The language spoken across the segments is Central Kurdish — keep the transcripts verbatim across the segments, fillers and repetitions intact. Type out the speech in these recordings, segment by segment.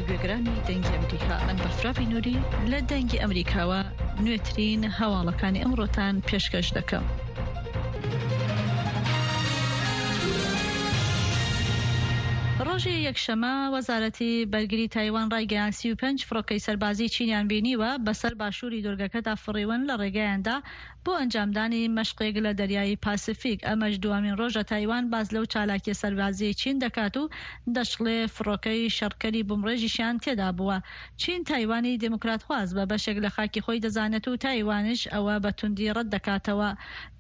گوێگرانی دەنگی ئەمریکا، من بەفراوی نوری لە دەنگی ئەمریکاوە نوێترین هەواڵەکانی ئەمڕۆتان پێشکەش دەکەم. ڕۆژی یەکشەمە وەزارەتی بەرگری تایوان ڕایگەیاند سی و پێنج فڕۆکەی سەربازی چینیان بینیوە بەسەر باشووری دوورگەکەدا فڕیون لە ڕێگەیاندا بۆ ئەنجامدانی مەشقێک لە دەریای پاسیفیک. ئەمەش دووەمین ڕۆژە تایوان باس لەو چالاکیە سەربازیەی چین دەکات و دەشڵێ فڕۆکەی شەڕکەری بومڕێژیشیان تێدا بووە. چین تایوانی دێموکراتخواز بە بەشێک لە خاکی خۆی دەزانێت و تایوانش ئەوە بە توندی ڕەت دەکاتەوە.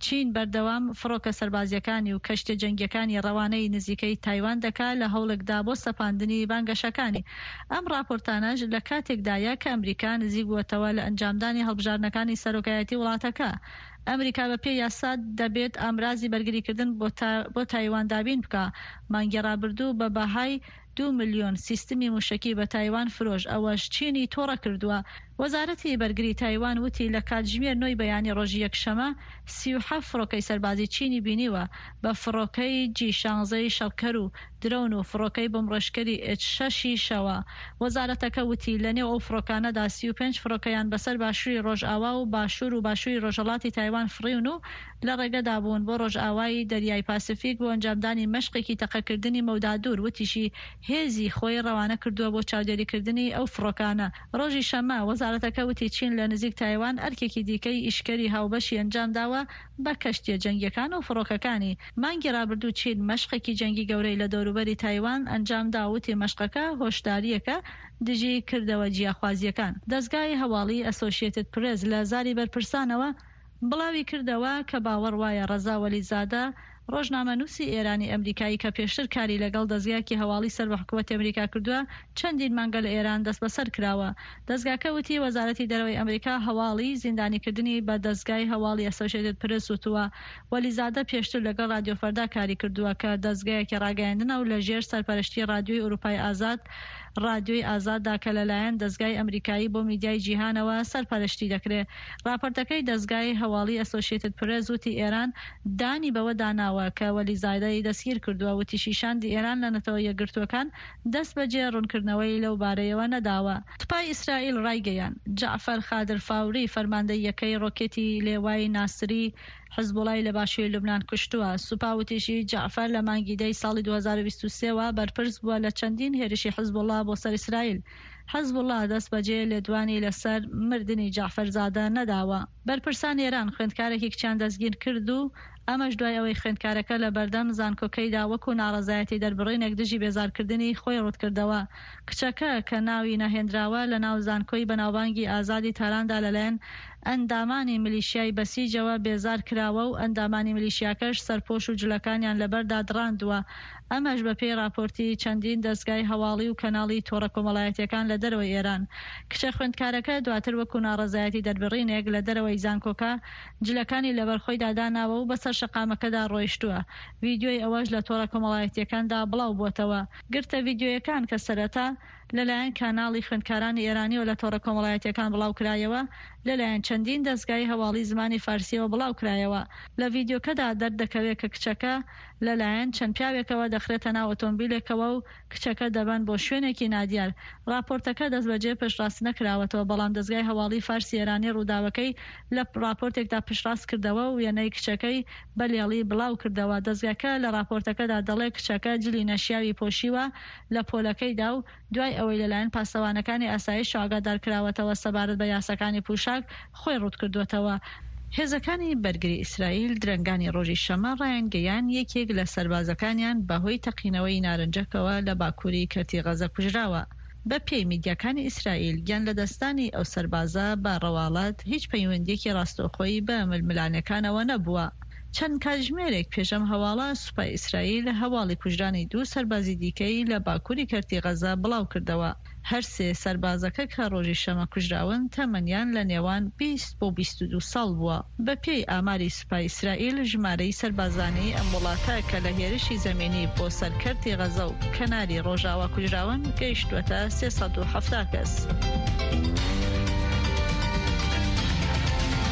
چین بەردەوام فڕۆکە سەربازیەکانی و کەشتیە جەنگیەکانی ڕەوانەی نزیکەی تایوان دەکا لە هەوڵێکدا بۆ سەپاندنی بانگەشەکانی. ئەم ڕاپۆرتانەش لە کاتێکدایە کە ئەمریکا نزیک بووەتەوە لە ئەنجامدانی هەڵبژاردنەکانی سەرۆکایەتی وڵاتەکە. ئەمریکا بە پێی یاسا دەبێت ئامرازی بەرگریکردن بۆ تایوان دابین بکا. مانگی ڕابردوو بە بەهای دوو ملیۆن سیستمی موشەکی بە تایوان فرۆش، ئەوەش چینی توڕە کردووە. وەزارەتی بەرگری تایوان وتی لە کاتژمێر نۆی بەیانی ڕۆژی یەکشەمە سی و حەفت فڕۆکەی سەربازی چینی بینیوە بە فڕۆکەی جی شانزەی شەڕکەر و درۆن و فڕۆکەی بۆمڕێژکەری ئێچ شەشیشەوە. وەزارەتەکە وتی لەنێو ئەو فڕۆکانەدا سی و پێنج فڕۆکەیان بەسەر باشووری ڕۆژئاوا و باشوور و باشووری ڕۆژهەڵاتی تایوان فڕیون و لە ڕێگەدا بوون بۆ ڕۆژئاوای دەریای پاسیفیک بۆ ئەنجامدانی مەشقێکی تەقەکردنی مەودا دوور. وتیشی هێزی خۆی ڕەوانە کردووە بۆ چاودێریکردنی ئەو فڕۆکانە. ڕۆژی شەممە وەزارەتەکە وتی چین لە نزیک تایوان ئەرکێکی دیکەی ئیشکەری هاوبەشی ئەنجامداوە بە کەشتیە جەنگیەکان و فڕۆکەکانی. مانگی ڕابردوو چین مەشقێکی جەنگی گەورەی لە دەوروبەری تایوان ئەنجامدا، وتی مەشقەکە هۆشدارییەکە دژی کردەوە جیاخوازیەکان. دەزگای هەواڵی ئەسۆشیەتد پرێس لە زاری بەرپرسانەوە بڵاوی کردەوە کە باوەڕ وایە ڕەزا وەلیزادە، ڕۆژنامەنووسی ئێرانی ئەمریکایی کە پێشتر کاری لەگەڵ دەزگایەکی هەواڵی سەر بە حکوومەتی ئەمریکا کردووە، چەندین مانگە لە ئێران دەستبەسەر کراوە. دەزگاکە وتی وەزارەتی دەرەوەی ئەمریکا هەواڵی زیندانیکردنی بە دەزگای هەواڵی ئەسۆشیەتد پرێس وتووە. وەلیزادە پێشتر لەگەڵ رادیۆ فەردا کاری کردووە کە دەزگایەکی ڕاگەیاندنە و لەژێر سەرپەرشتی ڕادیۆی ئەوروپای ئازاد ڕادیۆی ئازاددا کە لەلایەن دەزگای ئەمریکایی بۆ میدیای جیهانەوە سەرپەرشتی دەکرێت. راپۆرتەکەی دەزگای هەواڵی ئەسۆشیەتد پرێس وتی ئێران دانی بەوەدا ناوە کە وەلیزادەی دەستگیر کردووە. وتیشی شاندی ئێران لە نەتەوە یەکگرتووەکان دەست بەجێ ڕوونکردنەوەی لەو بارەیەوە نەداوە. سوپای ئیسرائیل ڕایگەیاند، جەعفەر خادر فاوری فەرماندەی یەکەی ڕۆکێتی لێوای ناسری حزبوڵای لە باشووری لوبنان کوشتووە. سوپا وتیشی جەعفەر لە مانگی دەی ساڵی دوو هەزار و بیست و سێ وە بەرپرس بووە لە چەندین هێرشی حزبوڵا بۆ سەر ئیسرائیل. حزبوڵا دەست بەجێ لێدوانی لەسەر مردنی جەعفەر زادە نەداوە. بەرپرسانی ئێران خوێندکارێکی کچیان دەستگیر کرد و ئەمەش دوای ئەوەی خوێندکارەکە لە بەردەم زانکۆکەیدا وەکو ناڕەزایەتی دەربڕینێک دژی بێزارکردنی خۆی ڕووتکردەوە. کچەکە کە ناوی نەهێنراوە لەناو زانکۆی بەناوبانگی ئازادی تاراندا لەلایەن ئەندامانی میلیشیای بەسیجەوە بێزار کراوە و ئەندامانی میلیشیاکەش سەرپۆش و جلەکانیان لەبەردا دڕاندووە. ئەمەش بەپێی راپۆرتی چەندین دەزگای هەواڵی و کەناڵی تۆڕە کۆمەڵایەتیەکان لە دەرەوەی ئێران. کچە خوێندکارەکە دواتر وەکو ناڕەزایەتی دەربڕینێک لە دەرەوەی زانکۆکە جلەکانی لەبەر خۆیدا داناوە و بەسەر شەقامەکەدا ڕۆیشتووە. ڤیدیۆی ئەوەش لە تۆڕە کۆمەڵایەتیەکاندا بڵاو بووەتەوە. گرتە ڤیدیۆیەکان کە سەرەتا لەلایەن کاناڵی خوێندکارانی ئێرانیەوە لە تۆڕە کۆمەڵایەتیەکان بڵاوکرایەوە، لەلایەن چەندین دەزگای هەواڵی زمانی فارسیەوە بڵاوکرایەوە. لە ڤیدیۆکەدا دەردەکەوێت کە کچەکە لەلایەن چەند پیاوێکەوە دەخرێتە ناو ئۆتۆمبیلێکەوە و کچەکە دەبەن بۆ شوێنێکی نادیار. راپۆرتەکە دەستبەجێ پشتڕاست نەکراوەتەوە، بەڵام دەزگای هەواڵی فارسی ئێرانی ڕووداوەکەی لە راپۆرتێکدا پشتڕاست کردەوە و وێنەی کچەکەی بە لێڵی بڵاو کردەوە. دەزگاکە لە راپۆرتەکەدا دەڵێ کچەکە جلی نەشیاوی پۆشیوە لە پۆلەکەیدا و دوای ئەوەی لەلایەن پاسەوانەکانی ئاسایش ئاگادار کراوەتەوە سەبارەت بە یاساکانی پوشاک خۆی ڕووتکردووەتەوە. هێزەکانی بەرگری ئیسرائیل درەنگانی ڕۆژی شەممە ڕایانگەیاند یەکێک لە سەربازەکانیان بەهۆی تەقینەوەی نارنجەکەوە لە باکووری کەرتی غەزە کوژراوە. بە پێی میدیاکانی ئیسرائیل گیان لەدەستدانی ئەو سەربازە بە ڕەواڵەت هیچ پەیوەندیەکی ڕاستەوخۆی بە ململانێکانەوە نەبووە. چەند کاتژمێرێک پێش ئەم هەواڵە سوپای ئیسرائیل هەواڵی کوژرانی دوو سەربازی دیکەی لە باکووری کەرتی غەزە بڵاو کردەوە. هەر سێ سەربازەکە کە ڕۆژی شەمە کوژراون تەمەنیان لە نێوان بیست بۆ بیست و دوو ساڵ بووە. بەپێی ئاماری سوپای ئیسرائیل ژمارەی سەربازانی ئەم وڵاتە کە لە هێرشی زەمینی بۆ سەر کەرتی غەزە و کەناری ڕۆژاوا کوژراون گەیشتووەتە سێ سەد و حەفتا کەس.